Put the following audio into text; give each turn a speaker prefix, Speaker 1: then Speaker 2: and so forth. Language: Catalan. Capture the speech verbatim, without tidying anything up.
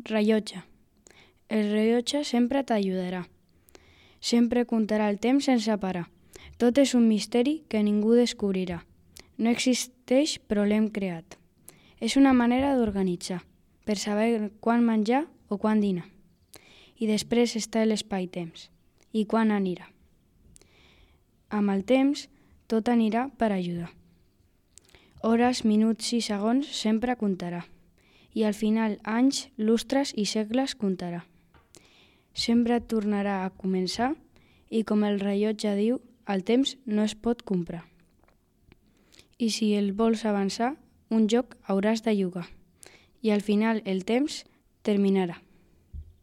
Speaker 1: Rellotge. El rellotge sempre t'ajudarà. Sempre comptarà el temps sense parar. Tot és un misteri que ningú descobrirà. No existeix, però l'hem creat. És una manera d'organitzar, per saber quan menjar o quan dinar. I després està l'espai-temps, i quan anirà. Amb el temps, tot anirà per ajudar. Hores, minuts i segons sempre comptarà. I al final anys, lustres i segles comptarà. Sempre tornarà a començar i com el rellotge diu, el temps no es pot comprar. I si el vols avançar, un joc hauràs de jugar. I al final el temps terminarà.